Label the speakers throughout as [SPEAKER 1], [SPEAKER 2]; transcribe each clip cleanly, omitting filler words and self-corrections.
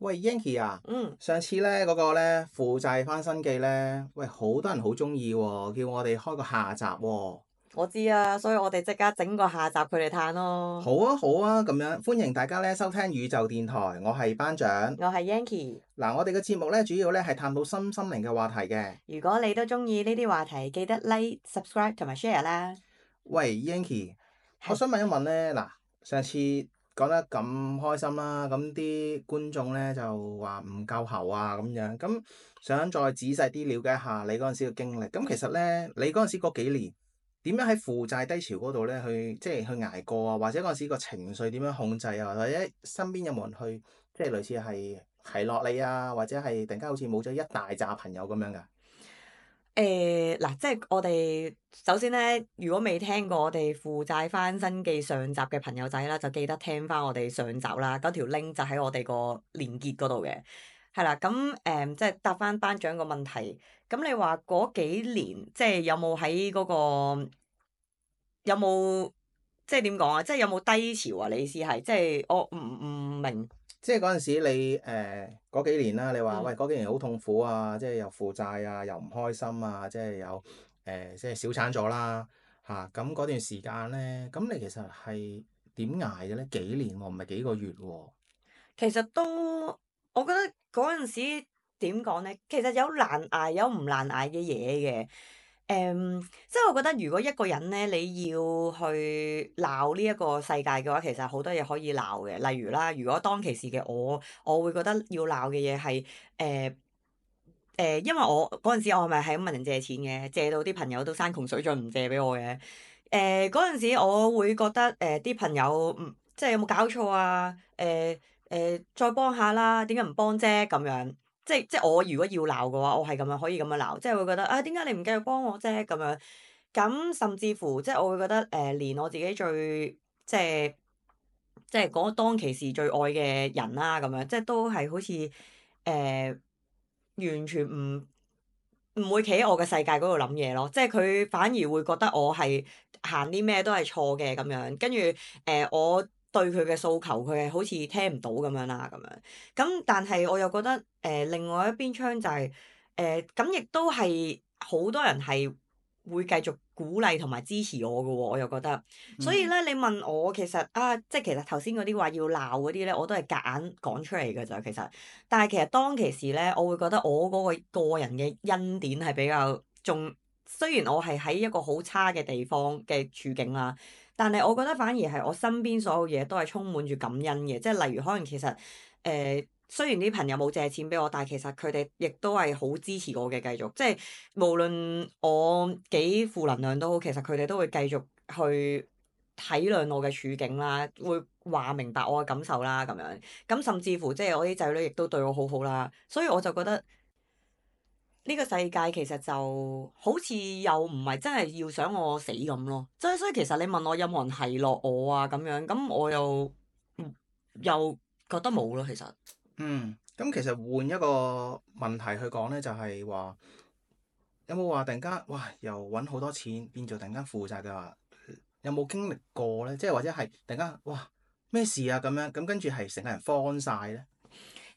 [SPEAKER 1] 喂，Yanky 啊，
[SPEAKER 2] 嗯，
[SPEAKER 1] 上次咧嗰個咧負債翻身記咧，喂好多人好中意喎，叫我哋開個下集喎。
[SPEAKER 2] 我知啊，所以我哋即刻整個下集佢哋嘆咯。
[SPEAKER 1] 好啊好啊，咁樣歡迎大家咧收聽宇宙電台，我係班長。
[SPEAKER 2] 我係 Yanky，
[SPEAKER 1] 嗱，我哋嘅節目咧主要咧係探討身心靈嘅話題嘅。
[SPEAKER 2] 如果你都中意呢啲話題，記得 like、subscribe 同埋 share 啦。
[SPEAKER 1] 喂，Yanky，我
[SPEAKER 2] 係，
[SPEAKER 1] 想問一問咧，嗱，上次講得咁開心啦，咁啲觀眾咧就話唔夠喉啊咁樣，咁想再仔細啲了解下你嗰陣時嘅經歷。咁其實咧，你嗰陣時嗰幾年點樣喺負債低潮嗰度咧即係去捱過啊？或者嗰陣時個情緒點樣控制啊？或者身邊有冇人去即係類似係提落你啊？或者係突然間好似冇咗一大紮朋友咁樣㗎？
[SPEAKER 2] 嗱，即係我哋首先咧，如果未聽過我哋負債翻身記上集嘅朋友仔啦，就記得聽翻我哋上集啦，嗰條 link 就喺我哋個連結嗰度嘅。係啦，咁即係答翻班長個問題。咁你話嗰幾年，即係有冇喺嗰個有冇即係點講啊？即係有冇低潮啊？你意思係即係我唔明。
[SPEAKER 1] 即係嗰陣時你嗰幾年啦，你話喂
[SPEAKER 2] 嗯。
[SPEAKER 1] 嗰幾年好痛苦啊，即係又負債啊，又唔開心啊，即係有即係小產咗啦嚇。咁嗰段時間咧，咁你其實係點捱嘅咧？幾年喎，唔係幾個月喎。
[SPEAKER 2] 其實都，我覺得嗰陣時點講咧，其實有難捱有唔難捱嘅嘢嘅。即係我覺得如果一個人咧，你要去鬧呢一個世界嘅話，其實好多嘢可以鬧嘅。例如啦，如果當其時嘅我會覺得要鬧嘅嘢係因為我嗰陣時我係咪係咁問人借錢嘅，借到啲朋友都山窮水盡唔借俾我嘅。嗰陣時我會覺得啲朋友即係有冇搞錯啊？再幫下啦，點解唔幫啫？咁樣即係我如果要鬧嘅話，我係咁樣可以咁樣鬧，即係會覺得啊，點解你唔繼續幫我啫？咁樣咁甚至乎即係我會覺得連我自己最即係即係嗰當其時最愛嘅人啦，咁樣即係都係好似完全唔會企喺我嘅世界嗰度諗嘢咯，即係佢反而會覺得我係行啲咩都係錯嘅咁樣，跟住我對佢嘅訴求，佢係好似聽唔到咁樣啦咁樣。咁但係我又覺得另外一邊廂就係咁，亦都係好多人係會繼續鼓勵同埋支持我嘅喎，我又覺得。所以咧，你問我其實啊，即係其實頭先嗰啲話要鬧嗰啲咧，我都係夾硬講出嚟嘅咋，其實。但係其實當其時咧，我會覺得我嗰個人嘅恩典係比較仲，雖然我係喺一個好差嘅地方嘅處境啦，但係我覺得反而係我身邊所有嘢都係充滿住感恩嘅，即係例如可能其實雖然啲朋友冇借錢俾我，但係其實佢哋亦都係好支持我嘅繼續，即係無論我幾負能量都好，其實佢哋都會繼續去體諒我嘅處境啦，會話明白我嘅感受啦咁樣。咁甚至乎即係我啲仔女亦都對我好好啦，所以我就覺得呢個世界其實就好似又唔係真係要想我死咁咯。即係所以其實你問我有冇人係落我啊咁樣，咁我又覺得冇咯，其實。
[SPEAKER 1] 咁其實換一個問題去講咧，就係話有冇話突然間哇又揾好多錢變做突然間負債嘅話，有冇經歷過咧？即係或者係突然間哇咩事啊咁樣，咁跟住係成個人慌晒咧？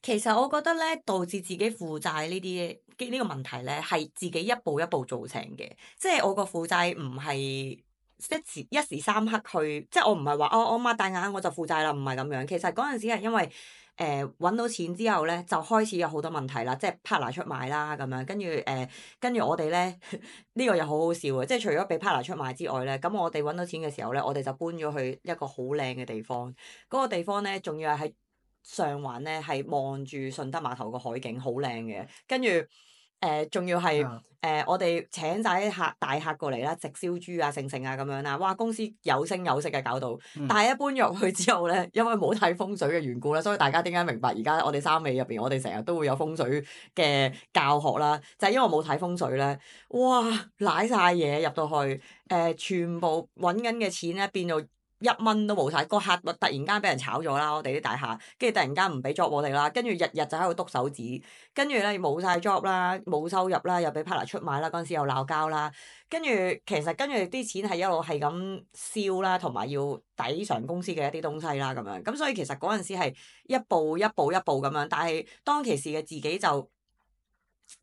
[SPEAKER 2] 其實我覺得咧，導致自己負債呢個問題咧，係自己一步一步造成嘅。即係我個負債唔係一時三刻去，即係我唔係話我擘大眼我就負債啦，唔係咁樣。其實嗰陣時係因為揾到錢之後咧，就開始有好多問題啦，即係 partner 出賣啦咁樣，跟住我哋咧呢個又好好笑嘅，即係除咗俾 partner 出賣之外咧，咁我哋揾到錢嘅時候咧，我哋就搬咗去一個好靚嘅地方，嗰個地方咧仲要係喺上環咧，係望住順德碼頭個海景，好靚嘅。跟住仲要係
[SPEAKER 1] 啊
[SPEAKER 2] 我哋請晒啲大客過嚟啦，直燒豬啊、盛啊咁樣啦。哇！公司有聲有色嘅搞到，
[SPEAKER 1] 嗯
[SPEAKER 2] 但係一搬咗入去之後咧，因為冇睇風水嘅緣故啦，所以大家點解明白而家我哋三尾入邊，我哋成日都會有風水嘅教學啦，就係因為冇睇風水咧，哇！瀨晒嘢入到去，全部揾緊嘅錢咧變到〜1蚊都冇晒，個客突然間俾人炒咗啦，我哋啲大廈，跟住突然間唔俾 job 我哋啦，跟住日日就喺度篤手指，跟住咧冇晒 job 啦，冇收入啦，又俾 partner 出賣啦，嗰陣時又鬧交啦，跟住其實啲錢係一路係咁燒啦，同埋要抵償公司嘅一啲東西啦咁樣，咁所以其實嗰陣時係一步一步一步咁樣，但係當其時嘅自己就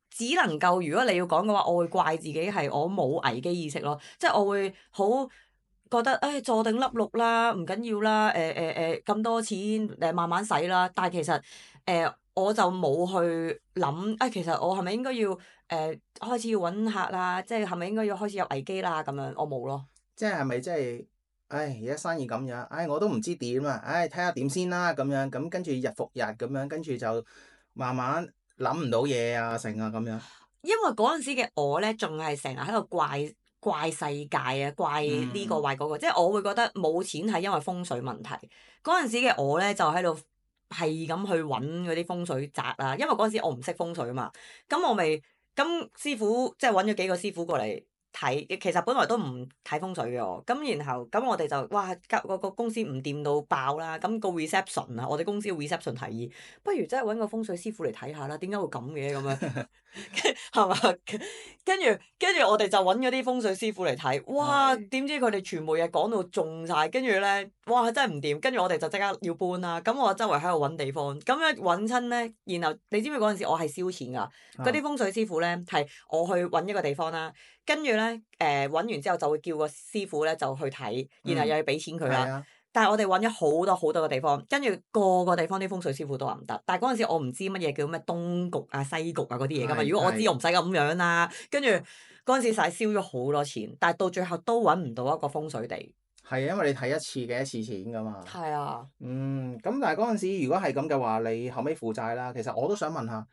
[SPEAKER 2] 只能夠，如果你要講嘅話，我會怪自己係我冇危機意識咯，即係我會好覺得坐定粒六啦，唔緊要啦，咁多錢慢慢使啦，但係其實我就冇去諗其實我係咪應該要開始要揾客啦，即係咪應該要開始有危機啦咁樣，我冇咯。
[SPEAKER 1] 即係咪即係，而家生意咁樣，我都唔知點啊，睇下點先啦咁樣，咁跟住日復日咁樣，跟住就慢慢諗唔到嘢啊，成啊咁樣。
[SPEAKER 2] 因為嗰陣時嘅我咧，仲係成日喺度怪世界啊，怪呢個怪嗰個，即係我會覺得冇錢係因為風水問題。嗰陣時嘅我咧，就喺度係咁去揾嗰啲風水宅啦，因為嗰陣時我唔識風水啊嘛，咁我咪咁師傅即係揾咗幾個師傅過嚟睇，其實本來都唔睇風水嘅喎，咁然後咁我哋就哇個公司唔掂到爆啦，咁個 reception 啊，我哋公司嘅 reception 提議，不如真係揾個風水師傅嚟睇下啦，點解會咁嘅咁樣？係嘛？跟住我哋就揾嗰啲風水師傅嚟睇，哇！點知佢哋全部嘢講到中晒，跟住咧，哇！真係唔掂，跟住我哋就即刻要搬啦。咁我周圍喺度揾地方，咁樣揾親咧，然後你知唔知嗰陣時我係燒錢㗎？嗰啲風水師傅咧係我去揾一個地方啦，跟住咧揾完之後就會叫個師傅咧就去睇，然後又要俾錢佢啦。但係我哋揾咗好多好多個地方，跟住個個地方啲風水師傅都話唔得。但係嗰陣時我唔知乜嘢叫咩東局啊、西局啊嗰啲嘢㗎嘛。如果我知我唔使咁樣啦。跟住嗰陣時實係燒咗好多錢，但係到最後都揾唔到一個風水地。
[SPEAKER 1] 係因為你睇一次嘅一次錢㗎嘛。
[SPEAKER 2] 係啊。
[SPEAKER 1] 咁但係嗰陣時如果係咁嘅話，你後尾負債啦。其實我都想問下，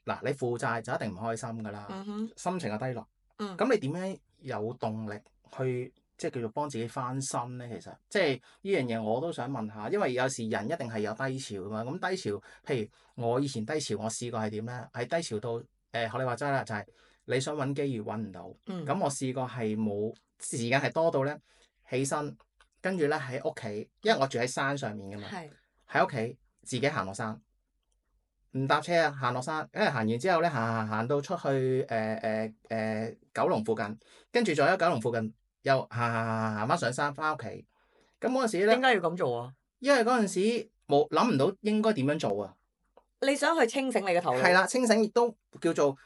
[SPEAKER 1] 嗱，你負債就一定唔開心㗎啦，心情又低落。咁你點樣有動力去即係叫做幫自己翻身咧？其實即係呢樣嘢我都想問下，因為有時人一定係有低潮㗎嘛。咁低潮，譬如我以前低潮，我試過係點咧？係低潮到學你話齋啦，就係你想揾機遇揾唔到。咁我試過係冇時間係多到咧，起身跟住咧喺屋企，因為我住喺山上面㗎嘛，喺屋企自己行落山。唔搭車啊，行落山，因為行完之後咧，行到出去九龍附近，跟住再喺九龍附近又行翻上山翻屋企。咁嗰陣時咧，
[SPEAKER 2] 點解要咁做啊？
[SPEAKER 1] 因為嗰陣時冇諗唔到應該點樣做啊。
[SPEAKER 2] 你想去清醒你嘅頭腦。
[SPEAKER 1] 係啦，清醒亦都叫做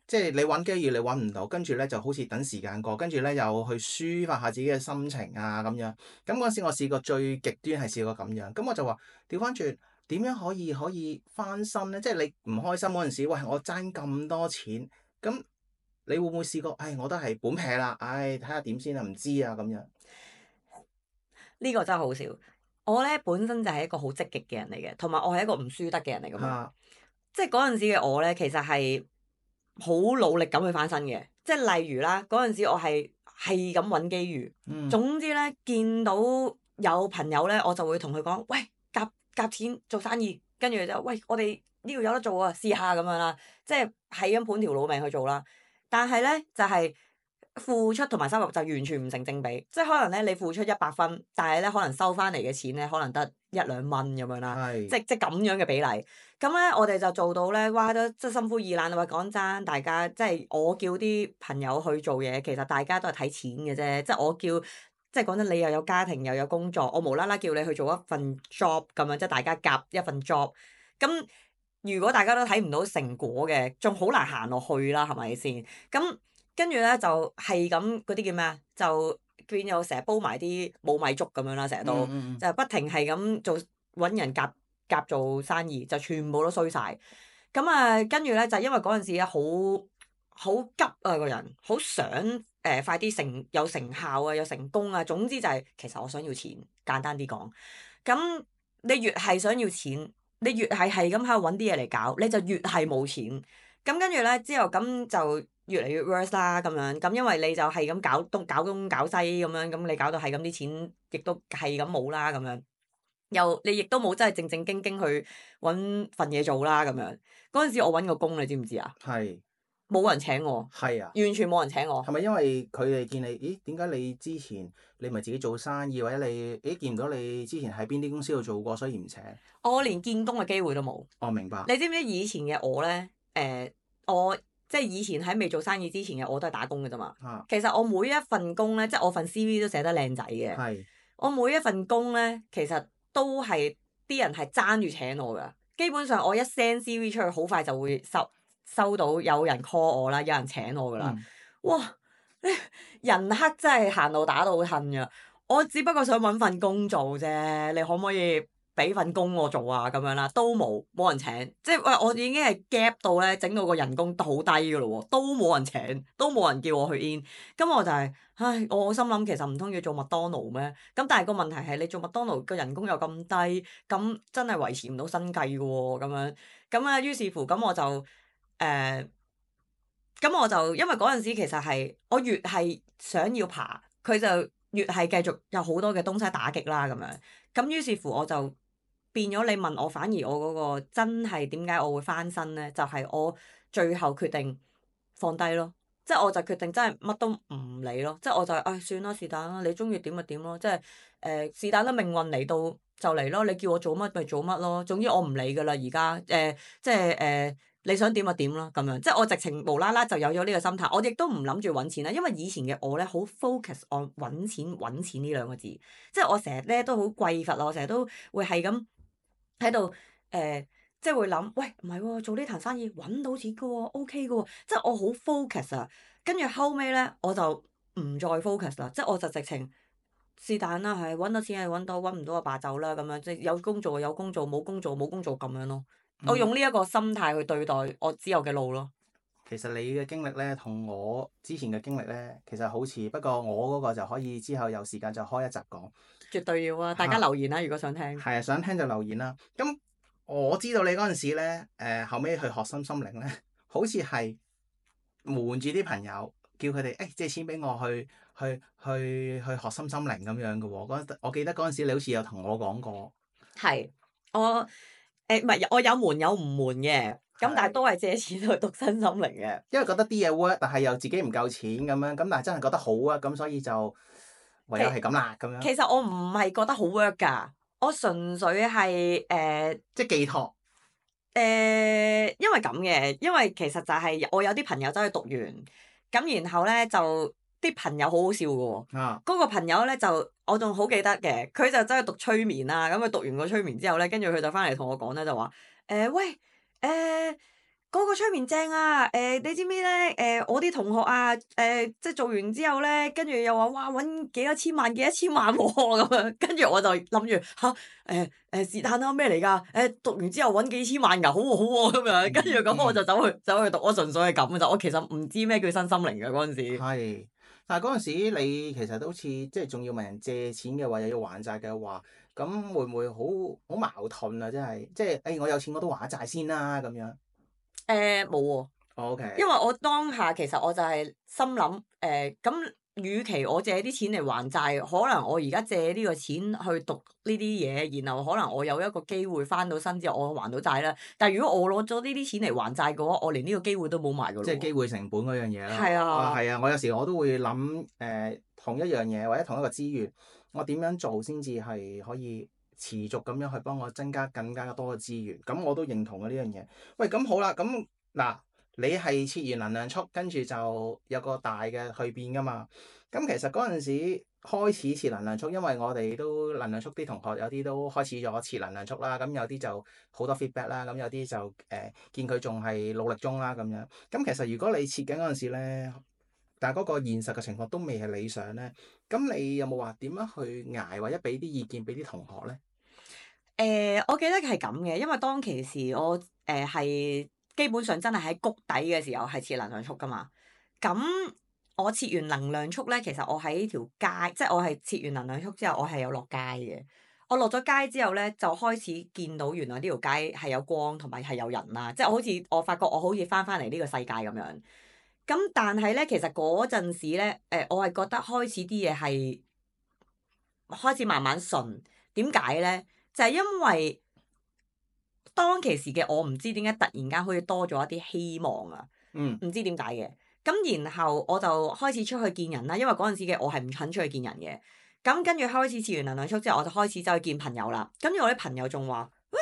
[SPEAKER 1] 即係你揾機遇你揾唔到，跟住咧就好似等時間過，跟住咧又去抒發下自己嘅心情啊咁樣。咁嗰陣時我試過最極端係試過咁樣，咁我就話調翻轉。點樣可以翻身咧？即係你唔開心嗰陣時，喂，我爭咁多錢，咁你會唔會試過？我都係本撇啦，睇下點先啊，唔知啊咁樣。
[SPEAKER 2] 呢個真係好笑。我咧本身就係一個好積極嘅人嚟嘅，同埋我係一個唔輸得嘅人嚟㗎嘛。即係嗰陣時嘅我咧，其實係好努力咁去翻身嘅。即係例如啦，嗰陣時我係咁揾機遇。總之咧，見到有朋友咧，我就會同佢講：喂，夾錢做生意，跟住就喂，我哋呢度有得做啊，試下咁樣啦，即係咁盤條老命去做啦。但係咧就係付出同埋收入就完全唔成正比，即係可能咧你付出100分，但係咧可能收翻嚟嘅錢咧可能得1-2蚊咁樣啦，即係咁樣嘅比例。咁咧我哋就做到咧，哇都即係心灰意冷啊！話講真，大家即係我叫啲朋友去做嘢，其實大家都係睇錢嘅啫，即係我叫。即係講真，你又有家庭又有工作，我無啦啦叫你去做一份 job 咁樣，即係大家夾一份 job。咁如果大家都睇唔到成果嘅，仲好難行落去啦，係咪先？咁跟住咧就係咁嗰啲叫咩啊？就變咗成日煲埋啲冇米粥咁樣啦，成日都就不停係咁做揾人夾做生意，就全部都衰晒。咁跟住咧就因為嗰陣時咧好急啊個人，好想快啲有成效啊，有成功啊。總之就係其實我想要錢，簡單啲講。咁你越係想要錢，你越係咁喺度揾啲嘢嚟搞，你就越係冇錢。咁跟住咧之後咁就越嚟越 worse 啦咁樣。咁因為你就係咁搞東搞西咁樣，咁你搞到係咁啲錢，亦都係咁冇啦咁樣。你亦都冇真係正正經經去揾份嘢做啦咁樣。嗰陣時我揾個工，你知唔知啊？
[SPEAKER 1] 係。
[SPEAKER 2] 冇人請我，
[SPEAKER 1] 係啊，
[SPEAKER 2] 完全冇人請我。
[SPEAKER 1] 係咪因為佢哋見你，咦？點解你之前你咪自己做生意，或者你見唔到你之前喺邊啲公司度做過，所以唔請？
[SPEAKER 2] 我連見工嘅機會都冇。
[SPEAKER 1] 我明白。
[SPEAKER 2] 你知唔知以前嘅我咧？我即係以前喺未做生意之前嘅我都係打工嘅啫嘛。
[SPEAKER 1] 啊，
[SPEAKER 2] 其實我每一份工咧，即係我份 CV 都寫得靚仔嘅。
[SPEAKER 1] 係
[SPEAKER 2] 我每一份工咧，其實都係啲人係爭住請我㗎。基本上我一 send CV 出去，好快就會收到有人 call 我啦，有人請我㗎啦。哇！人黑真係行路打到恨㗎。我只不過想揾份工做啫，你可唔可以俾份工我做啊？咁樣啦，都冇人請，即係喂，我已經係 gap 到咧，整到個人工好低㗎咯喎，都冇人請，都冇人叫我去 in。咁我就係，唉，我心諗其實唔通要做麥當勞咩？咁但係個問題係你做麥當勞個人工又咁低，咁真係維持唔到生計㗎喎，咁樣。咁啊，於是乎咁我就咁我就因為嗰陣時其實係我越係想要爬，佢就越係繼續有好多嘅東西打擊啦咁樣。咁於是乎我就變咗你問我，反而我嗰個真係點解我會翻身咧？就係我最後決定放低咯，即係我就決定真係乜都唔理咯，即係我就唉算啦，是但啦，你中意點就點咯，即係是但啦，命運嚟到就嚟咯，你叫我做乜咪做乜咯，總之我唔理噶啦，而家即係你想點就點啦咁樣，即係我直情無啦啦就有咗呢個心態，我亦都唔諗住揾錢啦，因為以前嘅我咧好 focus on 揾錢呢兩個字，即係我成日咧都好匱乏啊，我成日都會係咁喺度即係會諗，喂唔係喎，做呢壇生意揾到錢嘅喎，OK 嘅喎，即係我好 focus 啊，跟住後尾咧我就唔再 focus 啦，即係我就直情是但啦，係揾到錢係揾到，揾唔到就罷走啦咁樣，即係有工做就有工做，冇工做冇工做咁樣咯。我用呢一個心態去對待我之後嘅路咯。
[SPEAKER 1] 其實你嘅經歷咧，同我之前嘅經歷咧，其實好似，不過我嗰個就可以之後有時間就開一集講。
[SPEAKER 2] 絕對要啊！大家留言啦，如果想聽。
[SPEAKER 1] 係啊，想聽就留言啦。咁我知道你嗰陣時咧，後尾去學心靈咧，好似係瞞住啲朋友，叫佢哋借錢俾我去學心靈咁樣嘅喎。我記得嗰陣時你好似有同我講過。
[SPEAKER 2] 係我唔係我有瞞有唔瞞嘅，咁但係都係借錢去讀身心靈嘅。
[SPEAKER 1] 因為覺得啲嘢 work，但係又自己唔夠錢咁樣，咁但係真係覺得好啊，咁所以就唯有係咁啦咁樣。
[SPEAKER 2] 其實我唔係覺得好 work 㗎，我純粹係
[SPEAKER 1] 即係寄託。
[SPEAKER 2] 因為咁嘅，因為其實就係我有啲朋友走去讀完，咁然後咧就啲朋友好好笑嘅喎。
[SPEAKER 1] 啊！
[SPEAKER 2] 嗰個朋友咧就我仲好記得嘅，佢就走去讀催眠啦。咁佢讀完個催眠之後咧，跟住佢就翻嚟同我講咧，就話喂嗰個催眠正啊！你知唔知咧？我啲同學啊，即係做完之後咧，跟住又話哇揾幾多千萬幾多千萬喎咁樣，跟住我就諗住嚇是但啦咩嚟㗎？讀完之後揾幾千萬㗎，好喎好喎咁樣，跟住咁我就走去讀，我純粹係咁嘅咋，我其實唔知咩叫身心靈嘅嗰陣時。
[SPEAKER 1] 係，但係嗰陣時你其實都好似即係仲要問人借錢嘅話，又要還債嘅話，咁會唔會好矛盾啊？真係即係我有錢我都還債先啦咁樣。
[SPEAKER 2] 冇喎。
[SPEAKER 1] OK。
[SPEAKER 2] 因為我當下其實我就係心諗咁，與其我借啲錢嚟還債，可能我而家借呢個錢去讀呢啲嘢，然後可能我有一個機會翻到身之後，我還到債啦。但係如果我攞咗呢啲錢嚟還債嘅話，我連呢個機會都冇埋㗎咯。
[SPEAKER 1] 即係機會成本嗰樣嘢啦。
[SPEAKER 2] 係啊。
[SPEAKER 1] 係啊，我有時我都會諗同一樣嘢或者同一個資源，我點樣做先至係可以持續咁樣去幫我增加更加多嘅資源？咁我都認同嘅呢樣嘢。喂，咁好啦，咁嗱。你係設完能量束，跟住就有個大嘅蛻變噶嘛？咁其實嗰陣時開始設能量束，因為我哋都能量束啲同學有啲都開始咗設能量束啦，咁有啲就好多 feedback 啦，咁有啲就見佢仲係努力中啦咁樣。咁其實如果你設緊嗰陣時咧，但係嗰個現實嘅情況都未係理想咧，咁你有冇話點樣去捱，或者俾啲意見俾啲同學咧？
[SPEAKER 2] 我記得係咁嘅，因為當其時我係。基本上真係喺谷底嘅時候係設能量束㗎嘛，咁我設完能量束咧，其實我喺條街，即係我係設完能量束之後，我係有落街嘅。我落咗街之後咧，就開始見到原來呢條街係有光同埋係有人啦，即係好似我發覺我好似翻嚟呢個世界咁樣。咁但係咧，其實嗰陣時咧，我係覺得開始啲嘢係開始慢慢順。點解咧？就係因為當其時嘅我唔知點解突然間好似多咗一啲希望啊！唔知點解嘅。咁然後我就開始出去見人啦，因為嗰陣時嘅我係唔肯出去見人嘅。咁跟住開始試完能量速之後，我就開始走去見朋友啦。跟住我啲朋友仲話：喂，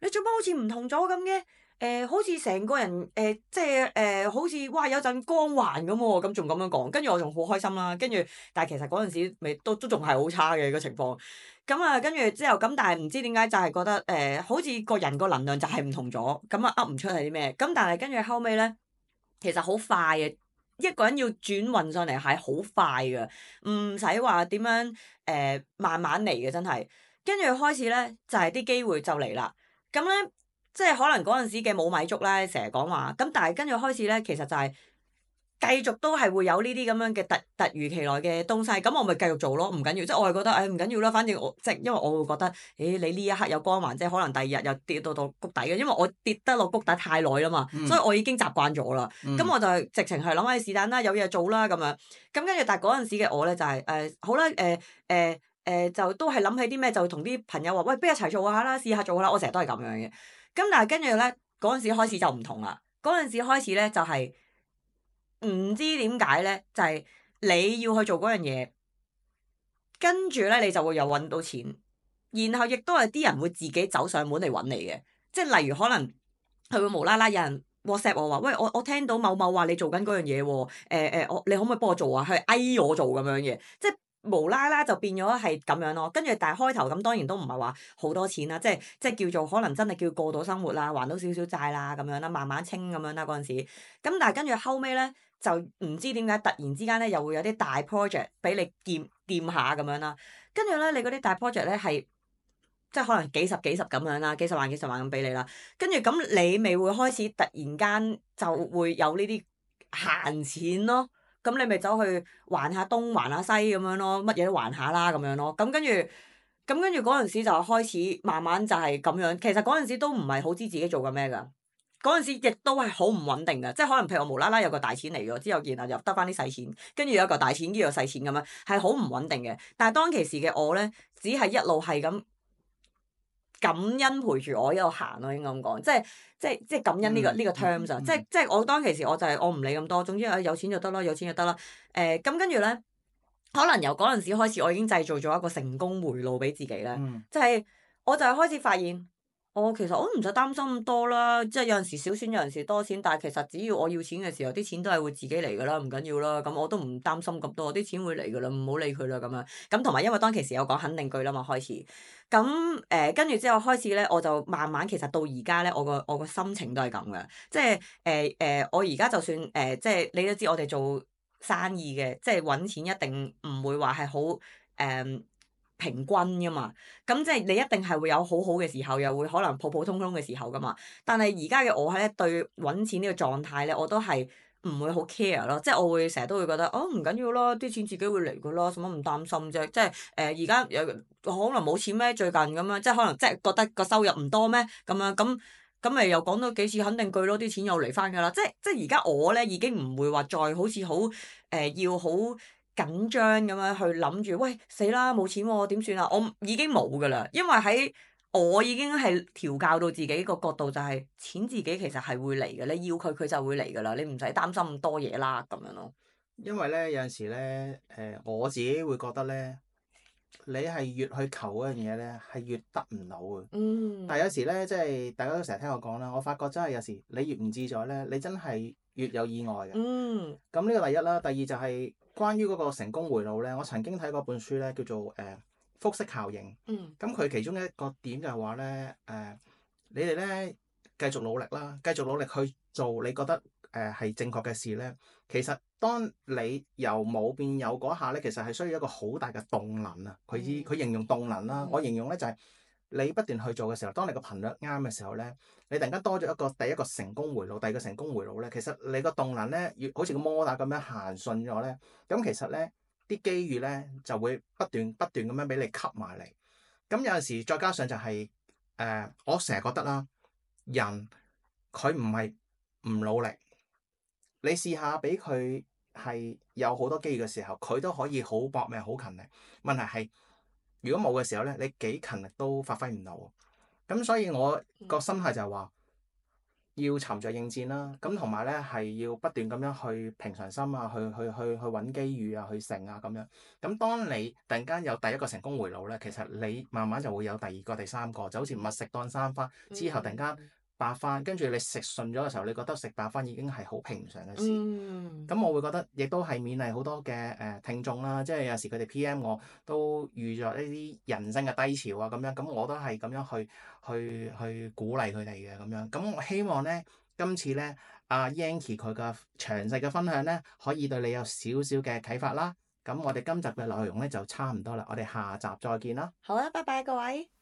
[SPEAKER 2] 你做乜好似唔同咗咁嘅？好似成個人即係好似哇有陣光環咁喎，咁仲咁樣講，跟住我仲好開心啦。跟住，但係其實嗰陣時未都仲係好差嘅個情況。咁啊，跟住之後咁，但係唔知點解就係覺得好似個人個能量就係唔同咗，咁啊噏唔出係啲咩。咁但係跟住後尾咧，其實好快嘅，一個人要轉運上嚟係好快嘅，唔使話點樣慢慢嚟嘅真係。跟住開始咧就係啲機會就嚟啦。咁咧即係可能嗰陣時嘅冇米粥咧，成日講話咁，但係跟住開始咧，其實就係繼續都係會有呢啲咁樣嘅突如其來嘅東西，咁我咪繼續做咯，唔緊要，即係我係覺得唔緊要啦，反正我即係因為我會覺得，你呢一刻有光環，即係可能第二日又跌到谷底嘅，因為我跌得落谷底太耐啦嘛，所以我已經習慣咗啦。咁我就係直情係諗起是但啦，有嘢做啦咁樣。咁跟住，但係嗰陣時嘅我咧就係好啦就都係諗起啲咩就同啲朋友話喂，不如一齊做下啦，試下做下啦。我成日都係咁樣嘅。咁但係跟住咧嗰陣時開始就唔同啦。嗰陣時開始咧就係唔知點解咧，就係你要去做嗰樣嘢，跟住咧你就會又揾到錢，然後亦都係啲人會自己走上門嚟揾你嘅，即係例如可能佢會無啦啦有人 WhatsApp 我話，喂我聽到某某話你做緊嗰樣嘢喎，你可唔可以幫我做啊？佢嗌我做咁樣嘅，即係無啦啦就變咗係咁樣咯。跟住但係開頭咁當然都唔係話好多錢啦，即係叫做可能真係叫過到生活啦，還到少少債啦咁樣啦，慢慢清咁樣啦嗰陣時。咁但係跟住後尾咧。就唔知點解突然之間咧，又會有啲大 project 俾你掂下咁樣啦。跟住咧，你嗰啲大 project 咧係即係可能幾十咁樣啦，幾十萬咁俾你啦。跟住咁你咪會開始突然間就會有呢啲閒錢咯。咁你咪走去還下東還下西咁樣咯，乜嘢都還下啦咁樣咯。咁跟住嗰陣時就開始慢慢就係咁樣。其實嗰陣時都唔係好知自己做緊咩㗎。嗰陣時亦都係好唔穩定嘅，即係可能譬如我無啦啦有個大錢嚟咗之後，然後又得翻啲細錢，跟住有一個大錢，跟住有細錢咁樣，係好唔穩定嘅。但係當其時嘅我咧，只係一路係咁感恩陪住我一路行咯，應該咁講，即係感恩呢個 terms 啊，即係我當其時我就係我唔理咁多，總之有錢就得啦，有錢就得啦。咁跟住咧，可能由嗰陣時開始，我已經製造咗一個成功回路俾自己咧，就係我就係開始發現。其實我都唔使擔心咁多啦，即係有陣時少錢，有陣時多錢，但係其實只要我要錢嘅時候，啲錢都係會自己嚟㗎啦，唔緊要啦。咁我都唔擔心咁多，啲錢會嚟㗎啦，唔好理佢啦咁樣。咁同埋因為當其時有講肯定句啦嘛，開始。咁跟住之後開始咧，我就慢慢其實到而家咧，我個心情都係咁嘅，即係我而家就算即係你都知我哋做生意嘅，即係揾錢一定唔會話係好誒。平均噶嘛，咁即係你一定係會有好好嘅時候，又會可能普普通通嘅時候噶嘛。但係而家嘅我咧對揾錢呢個狀態咧，我都係唔會好 care 咯，即係我會成日都會覺得唔緊要啦，啲錢自己會嚟噶啦，使乜咁擔心啫？即係而家有可能冇錢咩？最近咁樣，即係可能即係覺得個收入唔多咩？咁樣咁咪又講多幾次肯定句咯，啲錢又嚟翻噶啦。即係而家我咧已經唔會話再好似好要好緊張咁樣去諗住，喂死啦冇錢喎點算啊？我已經冇噶啦，因為喺我已經係調教到自己個角度，就係錢自己其實係會嚟嘅，你要佢佢就會嚟噶啦，你唔使擔心咁多嘢啦咁樣咯。
[SPEAKER 1] 因為咧有陣時咧我自己會覺得咧，你係越去求嗰樣嘢咧，係越得唔到嘅。但係有時咧，即係大家都成日聽我講啦，我發覺真係有時你越唔自在咧，你真係越有意外嘅。咁呢個第一啦，第二就係關於嗰個成功回路咧。我曾經睇過本書咧，叫做複式效應。咁佢其中一個點就係話咧你哋咧繼續努力啦，繼續努力去做你覺得係正確嘅事咧。其實當你由冇變有嗰下咧，其實係需要一個好大嘅動能啊。佢形容動能啦，我形容咧就係你不斷去做嘅時候，當你個頻率啱嘅時候咧，你突然間多咗第一個成功回路，第二個成功回路咧，其實你個動能咧，好似個摩打咁樣行順咗咧，咁其實咧啲機遇咧就會不斷咁樣俾你吸埋嚟。咁有陣時再加上就係我成日覺得啦，人佢唔係唔努力。你試下俾佢係有好多機遇嘅時候，佢都可以好搏命、好勤力。問題係，如果冇嘅時候咧，你幾勤力都發揮唔到。咁所以我個心態就係話，要沉着應戰啦。咁同埋咧係要不斷咁樣去平常心啊，去揾機遇啊，去成啊咁樣。咁當你突然間有第一個成功回路咧，其實你慢慢就會有第二個、第三個，就好似蜜食當生花之後突然間
[SPEAKER 2] 嗯
[SPEAKER 1] 白飯，跟住你食順咗嘅時候，你覺得食白飯已經係好平常嘅事。
[SPEAKER 2] 嗯
[SPEAKER 1] 咁我會覺得，亦都係勉勵好多嘅聽眾啦，即係有時佢哋 PM 我都遇咗一啲人生嘅低潮啊，咁樣，咁我都係咁樣去鼓勵佢哋嘅咁樣。咁我希望咧，今次咧阿 Yankie 佢嘅詳細嘅分享咧，可以對你有少少嘅啟發啦。咁我哋今集嘅內容咧就差唔多啦，我哋下集再見啦。
[SPEAKER 2] 好啦，拜拜各位。